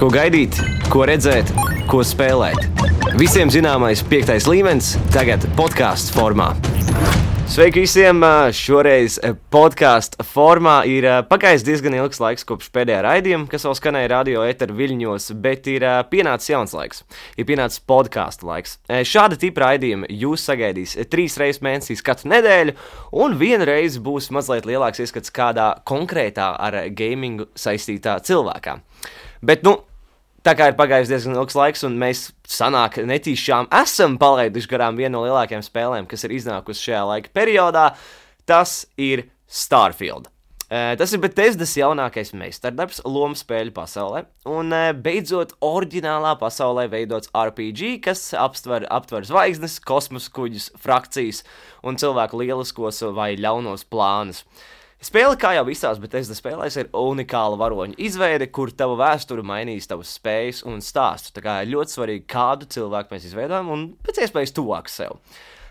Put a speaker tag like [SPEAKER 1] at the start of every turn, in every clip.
[SPEAKER 1] Ko gaidīt, ko redzēt, ko spēlēt. Visiem zināmais 5. līmenis tagad podcastu formā. Sveiki visiem! Šoreiz podcastu formā ir pagājis diezgan ilgs laiks kopš pēdējā raidījuma, kas vēl skanēja radio eteru viļņos, bet ir pienācis jauns laiks. Ir pienācis podcastu laiks. Šāda tipa raidījuma jūs sagaidīs 3 reizes mēnesī katru nedēļu, un vienu reizi būs mazliet lielāks ieskats kādā konkrētā ar gamingu saistītā cilvēkā. Bet, tā kā ir pagājis diezgan ilgs laiks, un mēs sanāk netīšām esam palaiduši garām vienu no lielākajām spēlēm, kas ir iznākusi šajā laika periodā, tas ir Starfield. Tas ir Bethesdas jaunākais meistardarbs lomu spēļu pasaulē, un beidzot oriģinālā pasaulē veidots RPG, kas aptver zvaigznes, kosmosa kuģus, frakcijas un cilvēku lieliskos vai ļaunos plānus. Spēle, kā jau visās Bethesda spēlēs, ir unikāla varoņu izveide, kur tava vēsture mainīs tavas spējas un stāstu. Tā kā ir ļoti svarīgi, kādu cilvēku mēs izveidojam un pēc iespējas tuvāk sev.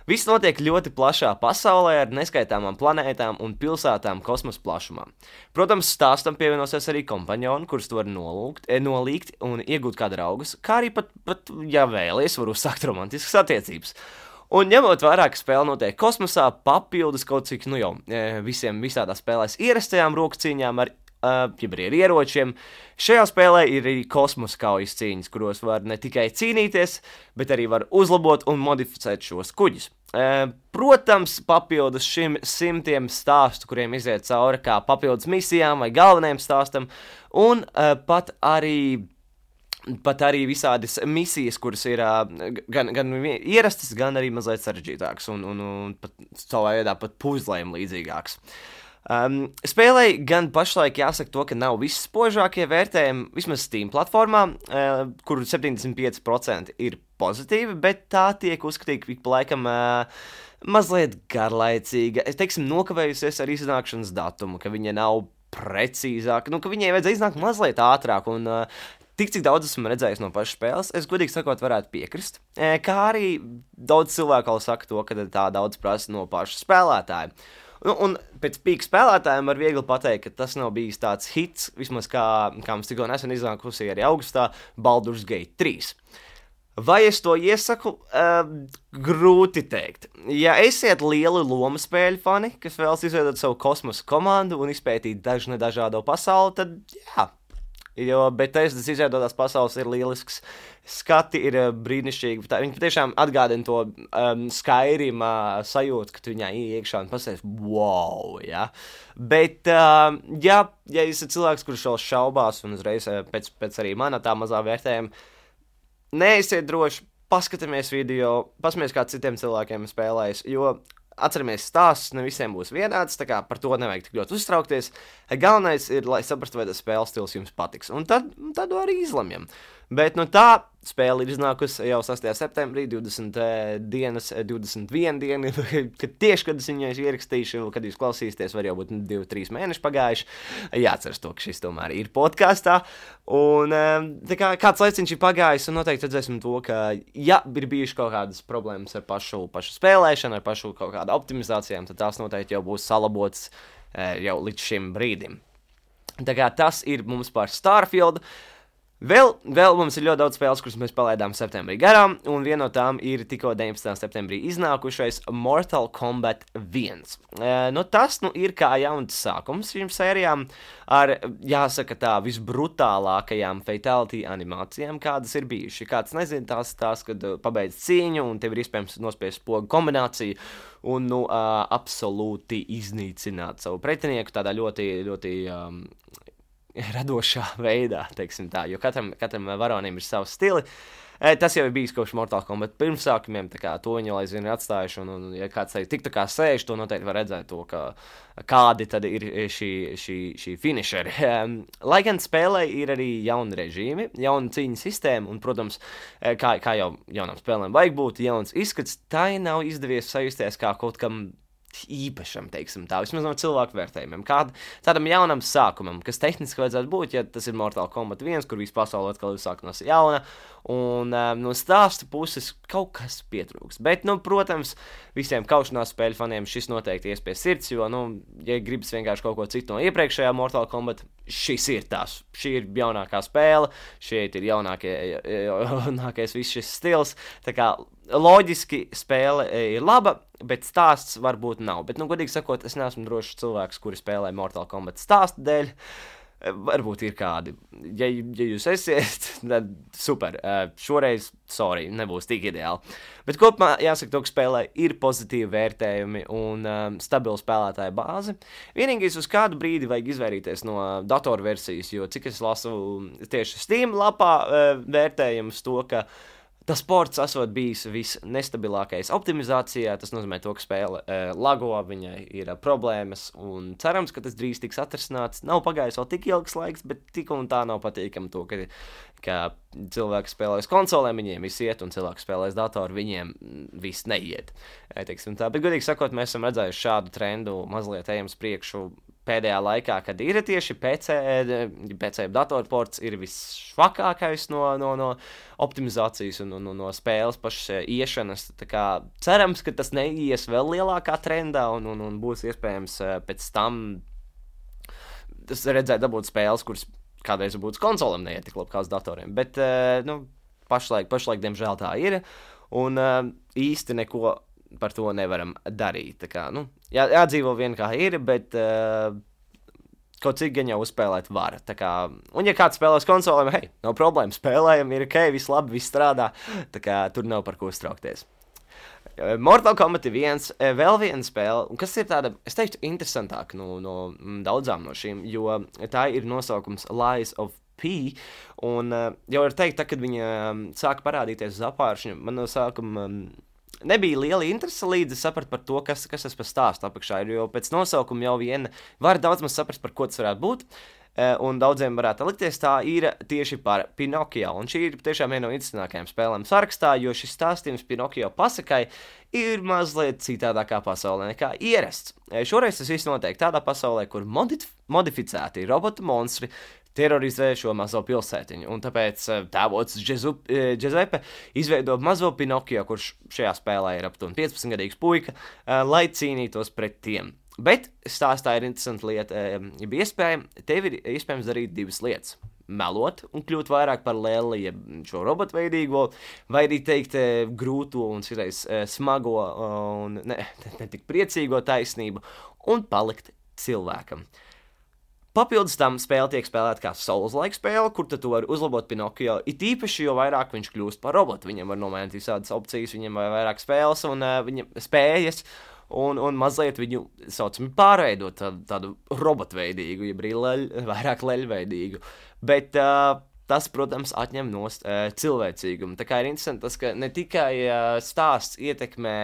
[SPEAKER 1] Viss notiek ļoti plašā pasaulē ar neskaitāmām planētām un pilsētām kosmosa plašumā. Protams, stāstam pievienosies arī kompanjoni, kurus tu vari nolīgt un iegūt kā draugus, kā arī pat ja vēlies, var uzsākt romantiskas attiecības. Un ņemot vērā, ka spēle notiek kosmosā, papildus kaut cik, visādās spēlēs ierastajām roku cīņām ar ieročiem, šajā spēlē ir arī kosmosa kaujas cīņas, kuros var ne tikai cīnīties, bet arī var uzlabot un modificēt šos kuģus. Protams, papildus šim simtiem stāstu, kuriem iziet cauri kā papildus misijām vai galvenajam stāstam, un pat arī visādas misijas, kuras ir gan ierastas, gan arī mazliet sarežģītākas un pat savā veidā pat puzlēm līdzīgākas. Spēlei gan pašlaik jāsaka to, ka nav visspožākie vērtējumi, vismaz Steam platformā, kur 75% ir pozitīvi, bet tā tiek uzskatīta ik pa laikam mazliet garlaicīga. Es teiksim, nokavējusies ar iznākšanas datumu, ka viņa nav precīzāka, ka viņai vajadzēja iznākt mazliet ātrāk un tik, cik daudz esmu redzējis no pašas spēles, es godīgi sakot varētu piekrist, kā arī daudz cilvēku vēl saka to, ka tā daudz prasa no paša spēlētāja. Un pēc pīka spēlētājiem var viegli pateikt, ka tas nav bijis tāds hits, vismaz kā mums tikko nesen iznākusi arī augustā Baldur's Gate 3. Vai es to iesaku? Grūti teikt. Ja esiet lieli lomu spēļu fani, kas vēlas izveidot savu kosmosa komandu un izpētīt dažādo pasauli, tad jā. Jo Bethesdas izveidotās pasaules ir lielisks, skati ir brīnišķīgi. Viņi patiešām atgādina to Skyrim sajūtu, ka tu viņā iekšā un pasēs, wow, ja. Bet, ja esat cilvēks, kurš vēl šaubās un uzreiz pēc arī mana tā mazā vērtējuma, neesiet droši, paskatāmies video, pasmies kā citiem cilvēkiem spēlējas, jo atceramies, stāsts ne visiem būs vienāds, tā kā par to nevajag tik ļoti uztraukties. Galvenais ir, lai saprastu, vai tas spēles stils jums patiks, un tad arī izlemjam. Bet tā spēle ir iznākusi jau 6. septembrī, 21 dienu, kad es viņu ierakstīšu, kad jūs klausīsieties, var jau būt 2-3 mēneši pagājuši. Jāatceras to, ka šis tomēr ir podkastā. Un kāds laiciņš ir pagājis, un noteikti redzēsim to, ka ja ir bijuši kaut kādas problēmas ar pašu spēlēšanu, ar pašu kaut kādu optimizācijām, tad tās noteikti jau būs salabotas jau līdz šim brīdim. Tā kā tas ir mums par Starfield. Vēl mums ir ļoti daudz spēles, kuras mēs palaidām septembrī garām, un viena no tām ir tikko 19. septembrī iznākušais Mortal Kombat 1. Tas ir kā jauns sākums šīm sērijām ar, jāsaka tā, visbrutālākajām fatality animācijām, kādas ir bijuši. Kāds nezina, tās, kad pabeidz cīņu, un tev ir iespējams nospiest spogu kombināciju, un absolūti iznīcināt savu pretinieku tādā ļoti, ļoti radošā veidā, teiksim tā, jo katram varonim ir savs stili. Tas jau ir bijis kopš Mortal Kombat pirmsākumiem, tā kā to viņi jau aizvien ir atstājuši, un ja kāds tik tā kā sēž, to noteikti var redzēt to, kādi tad ir šī finisheri. Lai gan spēlē ir arī jauni režīmi, jauna cīņas sistēma, un, protams, kā jau jaunām spēlēm vajag būt, jauns izskats, tai nav izdevies sajusties kā kaut kam īpašam, teiksim tā, vismaz no cilvēku vērtējumiem, tādam jaunam sākumam, kas tehniski vajadzētu būt, ja tas ir Mortal Kombat 1, kur visu pasauli atkal ir sāk no jauna, un no stāsta puses kaut kas pietrūks. Bet, protams, visiem kaušanās spēļu faniem šis noteikti ies pie sirds, jo, ja gribas vienkārši kaut ko citu no iepriekšējā Mortal Kombat, šis ir tās. Šī ir jaunākā spēle, šeit ir jaunākais viss šis stils, tā kā loģiski spēle ir laba, bet stāsts varbūt nav. Bet, godīgi sakot, es neesmu drošs cilvēks, kuri spēlē Mortal Kombat stāsta dēļ. Varbūt ir kādi. Ja jūs esiet, tad super. Šoreiz, sorry, nebūs tik ideāli. Bet kopumā jāsaka, ka spēlē ir pozitīvi vērtējumi un stabila spēlētāja bāze. Vienīgais uz kādu brīdi vajag izvairīties no datorversijas, jo cik es lasu tieši Steam lapā vērtējumus to, ka tas ports esot bijis visnestabilākais optimizācijā, tas nozīmē to, ka spēle lago, viņai ir problēmas, un cerams, ka tas drīz tiks atrisināts. Nav pagājis vēl tik ilgs laiks, bet tik un tā nav patīkami to, ka cilvēki spēlēs konsolēm, viņiem viss iet, un cilvēki spēlēs datoru, viņiem viss neiet. Teiksim tā, bet godīgi sakot, mēs esam redzējuši šādu trendu, mazliet ejam uz priekšu pēdējā laikā, kad ir tieši PC datorports ir visšvakākais no optimizācijas un no spēles pašas iešanas. Tā kā cerams, ka tas neies vēl lielākā trendā un būs iespējams pēc tam redzēt dabūt spēles, kuras kādreiz būtu konsolēm neiet tik labi kā uz datoriem. Bet pašlaik diemžēl tā ir un īsti neko par to nevaram darīt. Tā kā, jādzīvo vien kā ir, bet kaut cik gan jau uzspēlēt var. Tā kā, un ja kāds spēlēs konsolēm, hei, nav problēma, spēlējam, ir ok, viss labi, viss strādā, tā kā tur nav par ko uztraukties. Mortal Kombat 1, vēl viena spēle, un kas ir tāda, es teiktu, interesantāka no daudzām no šīm, jo tā ir nosaukums Lies of P, un jau var teikt, kad viņa sāka parādīties uz apāršņa, man no sākuma nebija liela interese, līdz es sapratu par to, kas tas par stāstu apakšā ir, jo pēc nosaukuma jau var daudz maz saprast, par ko tas varētu būt, un daudziem varētu likties tā ir tieši par Pinokio, un šī ir tiešām viena no interesantākajām spēlēm sarakstā, jo šis stāstījums Pinokio pasakai ir mazliet citādākā pasaulē nekā ierasts. Šoreiz tas viss notiek tādā pasaulē, kur modificēti robotu monstri terorizē šo mazo pilsētiņu, un tāpēc tēvots Giuseppe izveido mazo Pinokio, kurš šajā spēlē ir aptuveni 15-gadīgs puika, lai cīnītos pret tiem. Bet stāstā ir interesanta lieta, tev ir iespējams darīt divas lietas. Melot un kļūt vairāk par Lelli, šo robotveidīgo, vai arī teikt grūto un citreiz smago un ne tik priecīgo taisnību un palikt cilvēkam. Papildus tam spēle tiek spēlēta kā Souls-like spēle, kur tu vari uzlabot Pinokio, it īpaši, jo vairāk viņš kļūst par robotu. Viņam var nomainīt visādas opcijas, viņam var vairāk spēles un viņam spējas, un mazliet viņu saucami pārveidot tādu robotveidīgu, jeb arī vairāk leļveidīgu. Bet tas, protams, atņem nost cilvēcīgumu. Tā kā ir interesanti tas, ka ne tikai stāsts ietekmē,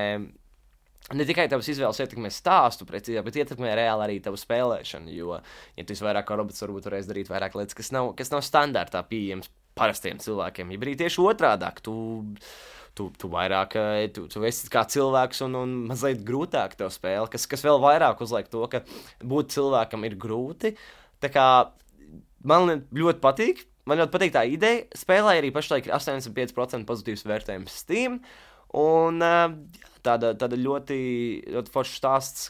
[SPEAKER 1] ne tikai tavas izvēles ietekmē stāstu precīzāk, bet ietekmē reāli arī tavu spēlēšanu, jo, ja tu esi vairāk kā robots, varbūt varēs darīt vairāk lietas, kas nav standartā pieejams parastiem cilvēkiem, ja arī tieši otrādāk, tu vairāk, tu esi kā cilvēks un mazliet grūtāk tev spēle, kas vēl vairāk uzliek to, ka būt cilvēkam ir grūti, tā kā man ļoti patīk tā ideja, spēlē arī pašlaik ir 85% pozitīvs vērtējums Steam, un tāda ļoti foršs stāsts,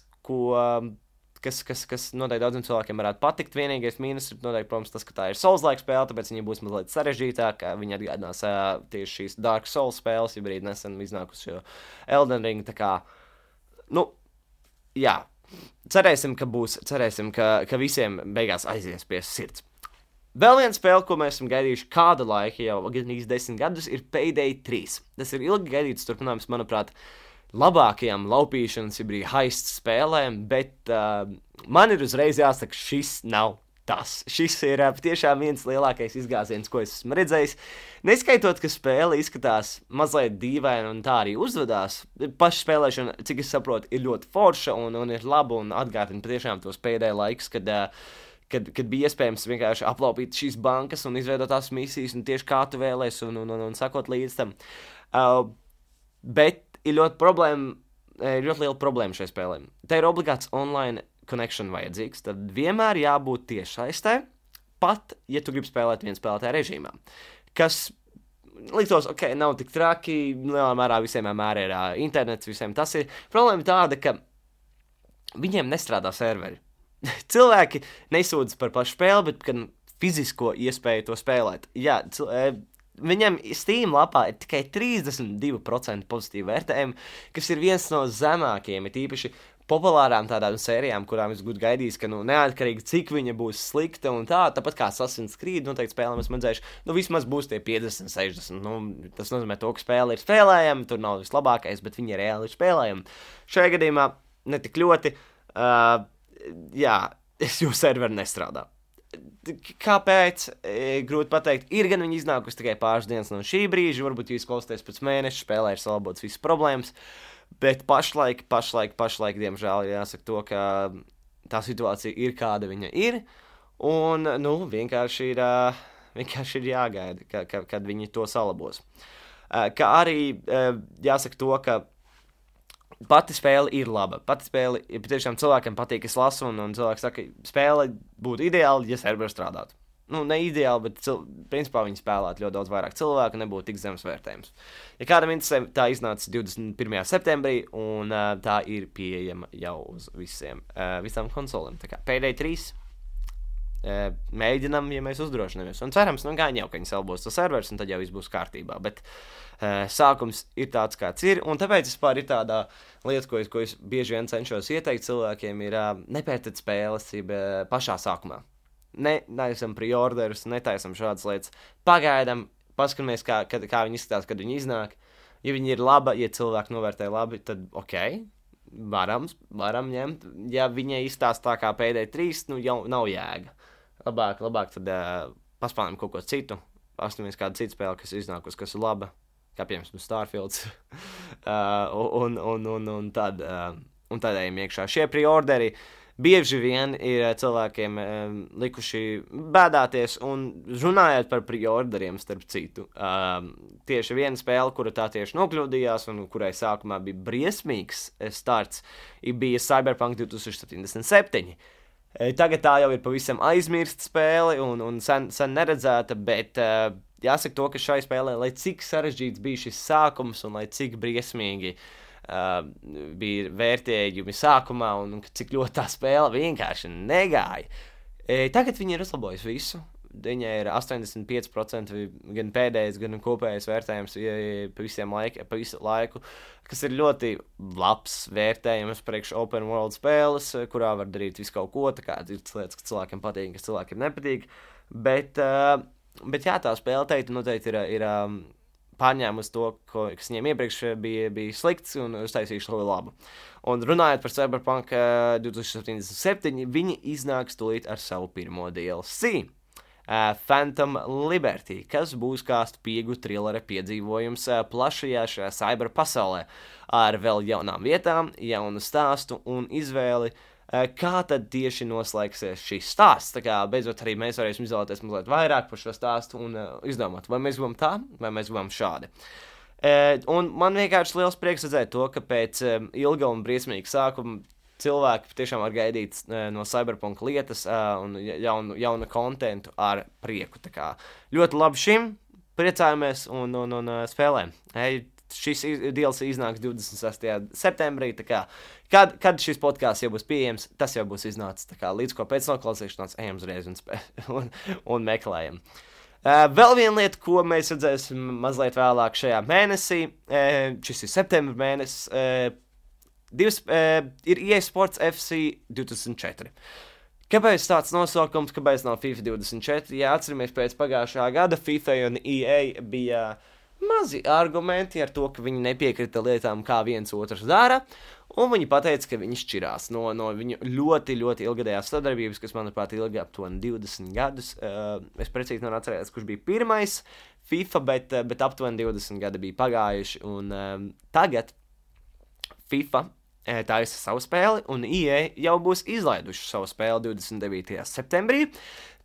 [SPEAKER 1] kas noteikti daudziem cilvēkiem varētu patikt. Vienīgais mīnus ir noteikti, protams, tas, ka tā ir Souls-like spēle, tāpēc viņa būs mazliet sarežģītāka. Viņa atgādinās tieši šīs Dark Souls spēles, ja brīdi nesen iznākusi jau Elden Ring. Tā kā, jā, cerēsim, ka visiem beigās aizies pie sirds. Vēl viena spēle, ko mēs esam gaidījuši kādu laiku, jau gandrīz 10 gadus, ir Payday 3. Tas ir ilgi gaidīts turpinājums, manuprāt, labākajām laupīšanas, ja brīdi heist spēlēm, bet man ir uzreiz jāsaka, šis nav tas. Šis ir tiešām viens lielākais izgāziens, ko es esmu redzējis. Neskaitot, ka spēle izskatās mazliet dīvaina un tā arī uzvedās. Paša spēlēšana, cik es saprotu, ir ļoti forša un ir laba un atgādina patiešām tos pēdējos laikus, kad bija iespējams vienkārši aplaupīt šīs bankas un izveidot tās misijas un tieši kā tu vēlēsi un sakot līdz tam. Bet ir ļoti problēma ļoti liela problēma šai spēlē. Tā ir obligāts online connection vajadzīgs, tad vienmēr jābūt tiešsaistē, pat, ja tu gribi spēlēt viens spēlētāja režīmā. Kas liktos, ok, nav tik traki, lielā mērā visiem vienmēr ir internets, visiem tas ir. Problēma tāda, ka viņiem nestrādā serveri. Cilvēki nesūdzas par pašu spēli, bet gan fizisko iespēju to spēlēt. Jā, viņam Steam lapā ir tikai 32% pozitīvu vērtējumu, kas ir viens no zemākajiem, ir īpaši populārām tādām sērijām, kurām es būtu gaidījis, ka, neatkarīgi cik viņa būs slikta un tā, tāpat kā Assassin's Creed, noteikti spēlēm esmu redzējuši, vismaz būs tie 50, 60, tas nozīmē to, ka spēle ir spēlējama, tur nav vislabākais, bet viņa reāli ir spēlējama. Šajā gadījumā ne tik ļoti, jo serveri nestrādā. Kāpēc? Grūti pateikt. Ir gan viņi iznākusi tikai pāris dienas no šī brīža, varbūt jūs klausāties pēc mēneša, spēlē ir salabotas visas problēmas, bet pašlaik, diemžēl, jāsaka to, ka tā situācija ir kāda viņa ir, un, vienkārši ir jāgaida, kad viņi to salabos. Kā arī jāsaka to, ka pati spēle ir laba. Pati spēle ir patiešām cilvēkiem patīk, es lasu, un cilvēki saka, ka spēle būtu ideāli, ja serveri strādātu. Ne ideāli, bet principā viņi spēlētu ļoti daudz vairāk cilvēku, nebūtu tik zemes vērtējums. Ja kādam interesē, tā iznāca 21. septembrī, un tā ir pieejama jau uz visām konsolēm. Tā kā Payday 3 mēģinam, ja mēs uzdrošinamies. Un cerams, gan jau, ka viņi salbos to servers, un tad jau viss būs kārtībā. Bet sākums ir tāds, kāds ir, un tāpēc vispār ir tāda lieta, ko es bieži vien cenšos ieteikt cilvēkiem, ir nepērtat spēles pašā sākumā. Netaisam preorderus, netaisam šādas lietas. Pagaidam, paskatāmies, kā viņi izskatās, kad viņi iznāk. Ja viņi ir laba, ja cilvēki novērtē labi, tad ok, varam ņemt. Ja viņa izstāsta tā kā Payday 3, jau nav jēga. Labāk tad paspēlējam kaut ko citu. Paskatāmies kādu citu spēli, kas iznākus, kas ir laba. Kā piemēram Starfields. un tad ejam iekšā. Šie preorderi bieži vien ir cilvēkiem likuši bēdāties, un runājot par preorderiem, starp citu, tieši viena spēle, kura tā tieši nokļūdījās, un kurai sākumā bija briesmīgs starts, bija Cyberpunk 2077. Tagad tā jau ir pavisam aizmirsta spēle, un sen neredzēta, bet jāsaka to, ka šai spēlē, lai cik sarežģīts bija šis sākums, un lai cik briesmīgi bija vērtējumi sākumā, un cik ļoti tā spēle vienkārši negāja. Tagad viņi ir uzlabojusi visu. Viņa ir 85% gan pēdējais, gan kopējais vērtējums pa visu laiku, kas ir ļoti labs vērtējums priekš open world spēles, kurā var darīt visu kaut ko, tā kā ir lietas, kas cilvēkiem patīk, kas cilvēkiem nepatīk. Bet jā, tā spēle noteikti ir pārņēmusi to, kas viņiem iepriekš bija slikts, un uztaisījuši to labu. Un runājot par Cyberpunk 2077, viņi iznāks tūlīt ar savu pirmo DLC. Phantom Liberty, kas būs kā spīgu trilera piedzīvojums plašajā šajā cyber pasaulē, ar vēl jaunām vietām, jaunu stāstu un izvēli, kā tad tieši noslēgsies šis stāsts. Tā kā beidzot arī mēs varēsim izvēlēties mazliet vairāk par šo stāstu un izdomāt, vai mēs gribam tā, vai mēs gribam šādi. Un man vienkārši liels prieks redzēt to, ka pēc ilga un briesmīga sākuma cilvēki tiešām var gaidīt no Cyberpunk lietas un jaunu kontentu ar prieku. Tā kā ļoti labi šim, priecājamies un spēlēm. Šis DLC iznāks 26. septembrī, tā kā, kad šis podcasts jau būs pieejams, tas jau būs iznācis, tā kā līdz ko pēc noklausīšanās ejam uzreiz un meklējam. Vēl viena lieta, ko mēs redzēsim mazliet vēlāk šajā mēnesī, šis ir septembra mēnesis, ir EA Sports FC 2004. Kāpēc tāds nosaukums, kāpēc nav FIFA 24? Ja atceramies pēc pagājušā gada, FIFA un EA bija mazi argumenti ar to, ka viņi nepiekrita lietām, kā viens otrs dara, un viņi pateica, ka viņi šķirās no viņu ļoti, ļoti ilgadējās sadarbības, kas, manuprāt, ilga aptuveni 20 gadus. Es precīzi nevaru atcerēties, kurš bija pirmais FIFA, bet aptuveni 20 gadi bija pagājuši, un tagad FIFA taisa savu spēli, un EA jau būs izlaiduši savu spēli 29. septembrī.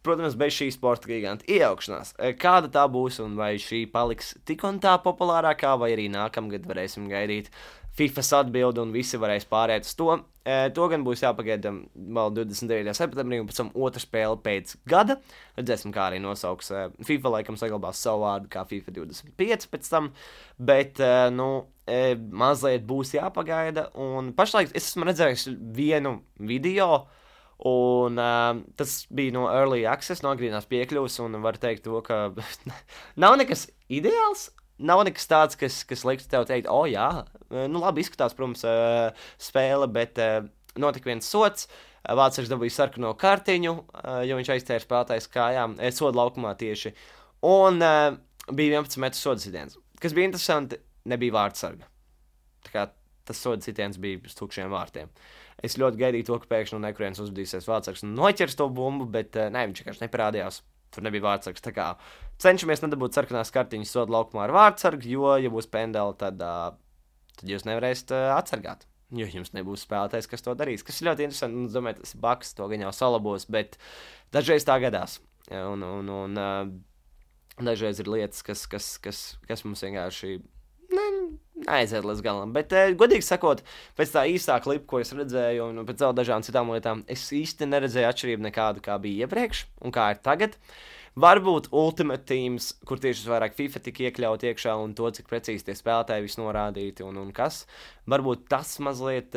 [SPEAKER 1] protams, bez šī sporta giganta iejaukšanās. Kāda tā būs un vai šī paliks tik un tā populārākā, vai arī nākamgad varēsim gaidīt FIFAs atbildi un visi varēs pārēt uz to. To gan būs jāpagaida vēl 29. septembrī un pēc tam otra spēle pēc gada. Redzēsim, kā arī nosauks. FIFA laikam saglabās savu vārdu kā FIFA 25 pēc tam, bet, mazliet būs jāpagaida. Un pašlaik es esmu redzējis vienu video, un tas bija no Early Access, no agrīnās piekļuvas, un var teikt to, ka nav nekas ideāls. Nav nekas tāds, kas liks tev teikt, jā, labi izskatās, protams, spēle, bet notika viens sots. Vācietis dabūja sarkano kartiņu, jo viņš aiztēra spēlētājs kājām, soda laukumā tieši. Un bija 11 metru soda sitiens. Kas bija interesanti, nebija vārdsarga. Tā kā tas soda sitiens bija uz tukšiem vārtiem. Es ļoti gaidīju to, ka pēkšņi no nekurienes uzbudīsies vārdsargs un noķers to bumbu, bet viņš vienkārši neparādījās. Tur nebija vārdsargs. Tā kā cenšamies nedabūt sarkanās kartiņas soda laukumā ar vārdsargu, jo, ja būs pendeli, tad jūs nevarēsiet atsargāt. Jo jums nebūs spēlētājs, kas to darīs. Kas ir ļoti interesanti. Es domāju, tas ir baks, to gan jau salabos, bet dažreiz tā gadās. Un dažreiz ir lietas, kas mums vienkārši aiziet līdz galam. Bet, godīgi sakot, pēc tā īstā klipa, ko es redzēju, un pēc vēl dažām citām lietām, es īsti neredzēju atšķirību nekādu, kā bija iepriekš un kā ir tagad. Varbūt Ultimate Teams, kur tieši vairāk FIFA tika iekļaut iekšā un to, cik precīzi tie spēlētāji viss norādīti un kas. Varbūt tas mazliet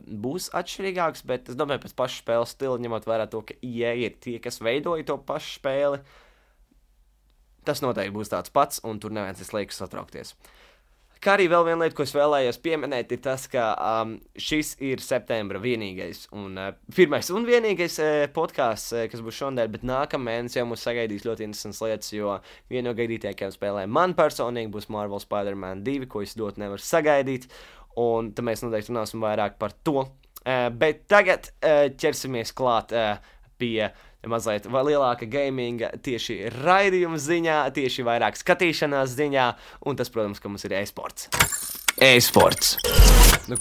[SPEAKER 1] būs atšķirīgāks, bet es domāju, pēc paša spēles stila, ņemot vērā to, ka EA ir tie, kas veidoja to pašu spēli, tas noteikti būs tāds pats, un tur neviens liekas satraukties. Kā arī vēl viena lieta, ko es vēlējos pieminēt, ir tas, ka šis ir septembra vienīgais un pirmais un vienīgais podcasts, kas būs šonadēļ, bet nākamēnes jau mums sagaidīs ļoti interesants lietas, jo viena no gaidītākajām spēlēm man personīgi būs Marvel Spider-Man 2, ko es ļoti nevaru sagaidīt, un tad mēs noteikti runāsim vairāk par to. Bet tagad ķersimies klāt pie mazliet lielāka gaminga tieši raidījuma ziņā, tieši vairāk skatīšanās ziņā, un tas, protams, ka mums ir e-sports. E-sports.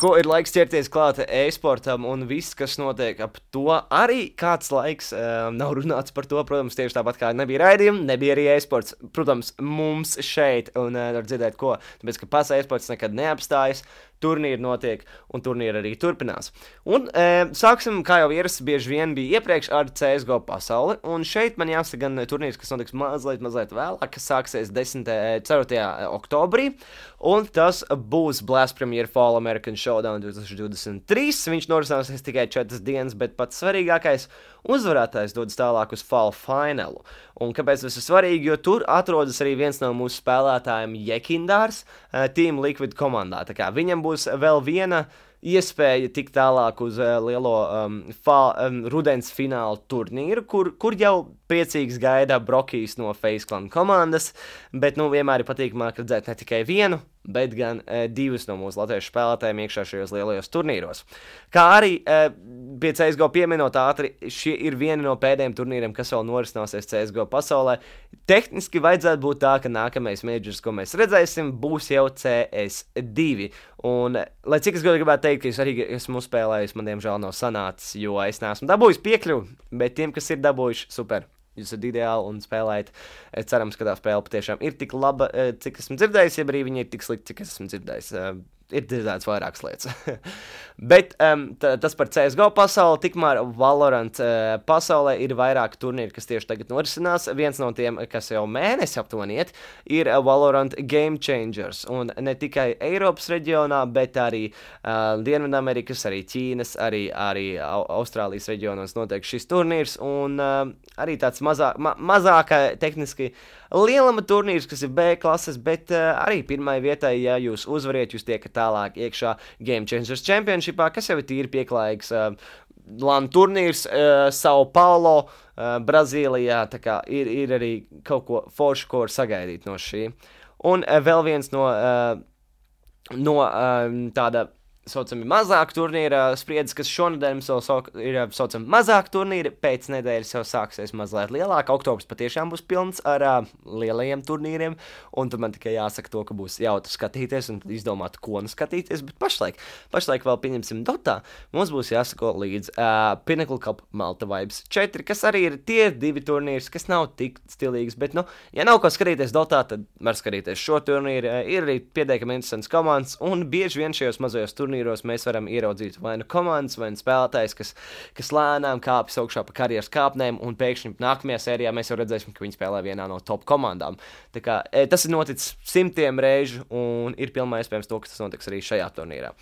[SPEAKER 1] Ko ir laiks ķerties klāt e-sportam un viss, kas notiek ap to. Arī kāds laiks nav runāts par to, protams, tieši tāpat kā nebija raidījumi, nebija arī e-sports. Protams, mums šeit, un var dzirdēt ko, tāpēc, ka pats e-sports nekad neapstājas. Turnīri notiek, un turnīri arī turpinās. Un sāksim, kā jau ierasts, bieži vien bija iepriekš ar CSGO pasauli, un šeit man jāsaka gan turnīrs, kas notiks mazliet vēlāk, kas sāksies 4. oktobrī, un tas būs Blast Premier Fall American Showdown 2023. Viņš norisināsies tikai 4 dienas, bet pats svarīgākais uzvarētājs dodas tālāk uz Fall Finalu. Un kāpēc tas ir svarīgi? Jo tur atrodas arī viens no mūsu spēlētājiem Jekindārs Team Liquid komandā. Tā kā viņam būs vēl viena iespēja tikt tālāk uz lielo rudens finālu turnīru, kur jau priecīgs gaida Brokijs no FaZe Clan komandas, bet vienmēr ir patīkamāk redzēt ne tikai vienu, bet gan 2 no mūsu latviešu spēlētājiem iekšā šajos lielajos turnīros. Kā arī pie CSGO pieminot ātri, šie ir vieni no pēdējiem turnīriem, kas vēl norisināsies CSGO pasaulē. Tehniski vajadzētu būt tā, ka nākamais majors, ko mēs redzēsim, būs jau CS2. Un, lai cik es gribētu teikt, ka es arī esmu uzspēlējis, man diemžēl nav sanācis, jo es neesmu dabūjis piekļuvi, bet tiem, kas ir dabūjuši, super. Jūs esat ideāli un spēlējat. Cerams, ka tā spēle patiešām ir tik laba, cik esmu dzirdējis, ja arī viņa ir tik slikta, cik es esmu dzirdējis. Ir dzirdēts vairākas lietas. Bet tas par CSGO pasauli, tikmēr Valorant pasaulē ir vairāk turnīri, kas tieši tagad norisinās. Viens no tiem, kas jau mēnesi aptuveni iet, ir Valorant Game Changers. Un ne tikai Eiropas reģionā, bet arī Dienvidamerikas, arī Ķīnas, arī Austrālijas reģionos notiek šis turnīrs. Un arī tāds mazāk tehniski lielama turnīrs, kas ir B klases, bet arī pirmai vietai, ja jūs uzvariet, jūs tiekat tālāk iekšā Game Changers Championshipā, kas jau ir tīri pieklājīgs LAN turnīrs Sao Paulo, Brazīlijā, tā kā ir arī kaut ko foršu, ko var sagaidīt no šī. Un vēl viens no tāda saucami mazāk turnīra spriedzes, kas šonadēļ mums vēl ir saucami mazāk turnīri, pēc nedēļas jau sāksies mazliet lielāk, oktobrs patiešām būs pilns ar lielajiem turnīriem, un tad man tikai jāsaka to, ka būs jautri skatīties un izdomāt, ko nu skatīties, bet pašlaik vēl pieņemsim Dotā, mums būs jāsako līdz Pinnacle Cup Malta Vibes 4, kas arī ir tie 2 turnīrs, kas nav tik stilīgs, bet, ja nav ko skatīties Dotā, tad var skatīties šo turnīru, ir arī pietiekami interesants komandas, un bieži vien šajos mazajos turnīros mēs varam ieraudzīt vai nu komandas, vai nu spēlētājs, kas lēnām kāpjas augšā pa karjeras kāpnēm, un pēkšņi nākamajā sērijā mēs jau redzēsim, ka viņi spēlē vienā no top komandām. Tā kā tas ir noticis simtiem reižu, un ir pilnībā iespējams to, ka tas notiks arī šajā turnīrā.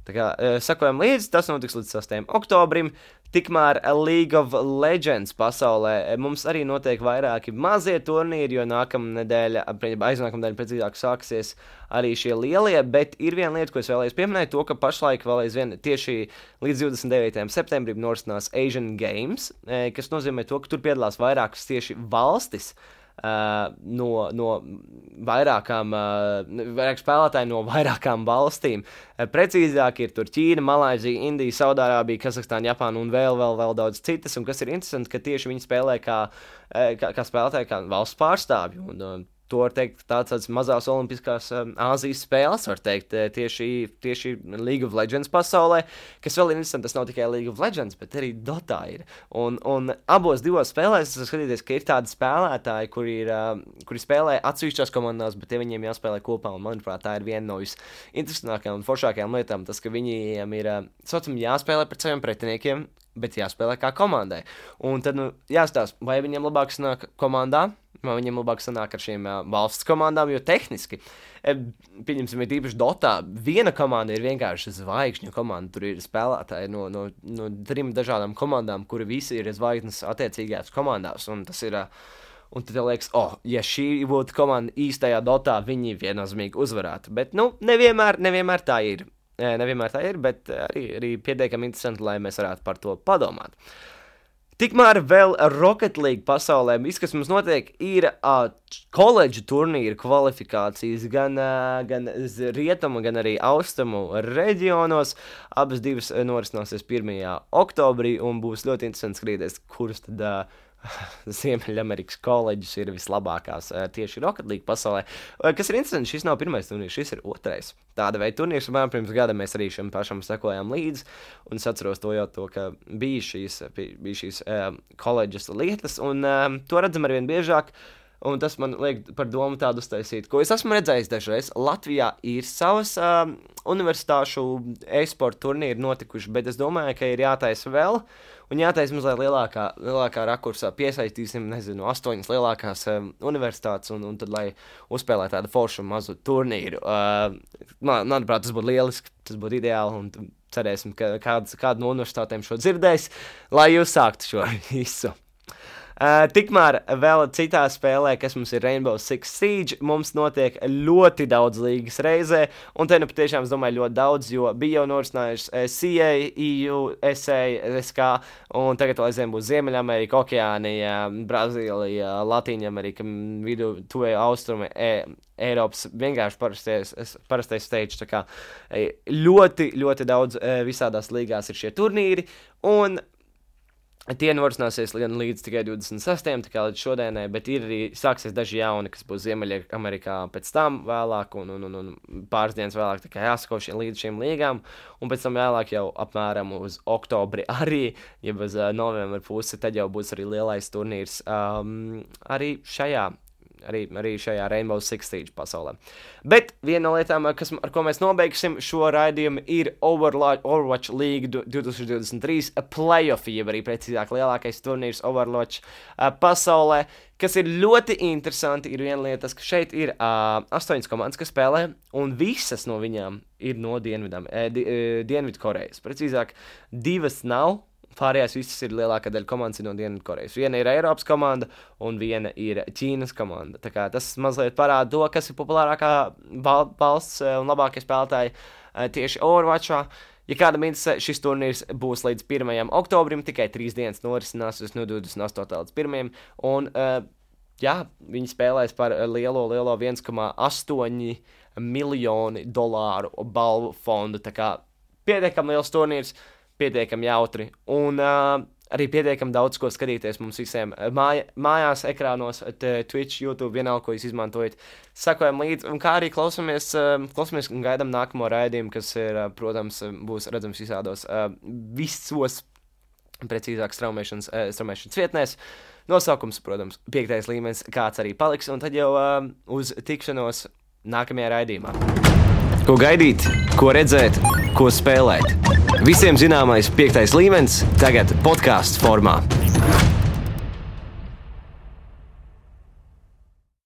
[SPEAKER 1] Tā kā sakojam līdzi, tas notiks līdz 6. oktobrim, tikmēr League of Legends pasaulē mums arī notiek vairāki mazie turnīri, jo aiznākamnedēļ precīzāk sāksies arī šie lielie, bet ir viena lieta, ko es vēlējos pieminēt, to, ka pašlaik vēl aizvien tieši līdz 29. septembrim norisinās Asian Games, kas nozīmē to, ka tur piedalās vairākas tieši valstis, no vairākām spēlētāji no vairākām valstīm. Precīzāk ir tur Ķīna, Malaizija, Indija, Saudārābija, Kazahstāna, Japāna un vēl daudz citas, un kas ir interesanti, ka tieši viņi spēlē kā spēlētāji, kā valsts pārstāvji, un to var teikt tādas mazās olimpiskās Āzijas spēles, var teikt tieši League of Legends pasaulē, kas vēl ir interesanti, tas nav tikai League of Legends, bet arī Dotā ir. Un abos divos spēlēs es skatīties, ka ir tādi spēlētāji, kuri spēlē atsevišķās komandās, bet viņiem jāspēlē kopā, un manuprāt, tā ir viena no visinteresantākajām un foršākajām lietām, tas, ka viņiem ir, jāspēlē pret saviem pretiniekiem, bet jāspēlē kā komandai. Un tad, jāstāsta, vai viņiem labāk sanāk komandā, vai viņiem labāk sanāk ar šīm valsts komandām, jo tehniski, pieņemsim, ir īpaši Dotā, viena komanda ir vienkārši zvaigžņu komanda, tur ir spēlētāji no 3 dažādām komandām, kuri visi ir zvaigznes attiecīgajās komandās, un tas ir, un tad liekas, ja šī būtu komanda īstajā Dotā, viņi viennozīmīgi uzvarētu, bet, nevienmēr tā ir. Nevienmēr tā ir, bet arī pietiekami interesanti, lai mēs varētu par to padomāt. Tikmēr vēl Rocket League pasaulē, viss, kas mums notiek, ir koledžu turnīru kvalifikācijas gan rietumu, gan arī austrumu reģionos. Abas divas norisināsies 1. oktobrī un būs ļoti interesanti skatīties, kuras tad Ziemeļamerikas koledžas ir vislabākās tieši Rocket League pasaulē. Kas ir interesanti, šis nav pirmais turnīrs, šis ir otrais. Tāda veida turnīrs, un pirms gada mēs arī šim pašam sekojām līdzi, un es atceros to, ka bija šīs koledžas lietas, un to redzam arvien biežāk. Un tas man liek par domu tādu uztaisīt, ko es esmu redzējis dažreiz. Latvijā ir savas universitāšu e-sporta turnīri notikuši, bet es domāju, ka ir jātaisa vēl, un jātaisa mazliet lielākā rakursā. Piesaistīsim, 8 lielākās universitātes, un tad, lai uzspēlē tādu foršu mazu turnīru. Manuprāt, tas būtu lieliski, tas būtu ideāli, un cerēsim, ka kāda no universitātēm šo dzirdēs, lai jūs sāktu šo visu. Tikmēr vēl citā spēlē, kas mums ir Rainbow Six Siege, mums notiek ļoti daudz līgas reizē, un te patiešām, es domāju, ļoti daudz, jo bija jau norisinājuši CA, EU, SA, SK, un tagad vēl aizvien būs Ziemeļamerika, Okeānija, Brazīlija, Latīņamerika, vidu, tuve austrumi, Eiropas vienkārši parastais stage, tā kā ļoti, ļoti daudz visādās līgās ir šie turnīri, un tie norisināsies līdz tikai 26. tā kā līdz šodienai, bet ir arī sāksies daži jauni, kas būs Ziemeļamerikā pēc tam vēlāk un pāris dienas vēlāk, tā kā jāsako līdz šīm līgām, un pēc tam vēlāk jau apmēram uz oktobri arī, ja bez novembra pusi, tad jau būs arī lielais turnīrs arī šajā Rainbow Six Siege pasaulē. Bet viena no lietām, ar ko mēs nobeigsim šo raidījumu, ir Overwatch League 2023 playoffs, jeb arī precīzāk lielākais turnīrs Overwatch pasaulē, kas ir ļoti interesanti. Ir viena lieta, ka šeit ir 8 komandas, kas spēlē, un visas no viņām ir no Dienvidkorejas. Precīzāk, 2 nav. Pārējās visas ir lielākā daļa komandas no Dienvidkorejas. Viena ir Eiropas komanda un viena ir Ķīnas komanda. Tā kā tas mazliet parāda to, kas ir populārākā valsts un labākie spēlētāji tieši Overwatchā. Ja kādam interesē, šis turnīrs būs līdz 1. oktobrim, tikai 3 dienas norisināsies no 28. līdz 1. Un viņi spēlēs par lielo 1,8 miljoni dolāru balvu fondu. Tā kā pietiekami liels turnīrs, pietiekami jautri un arī pietiekami daudz ko skatīties mums visiem mājās, ekrānos, Twitch, YouTube, vienalga, ko jūs izmantojat. Sakojam līdzi, un kā arī klausamies un gaidām nākamo raidījumu, kas ir, protams, būs redzams visos, precīzāk, straumēšanas vietnēs. Nosaukums, protams, 5. līmenis, kāds arī paliks, un tad jau uz tikšanos nākamajā raidījumā. Ko gaidīt, ko redzēt, ko spēlēt. Visiem zināmais 5. līmenis tagad podcastu formā.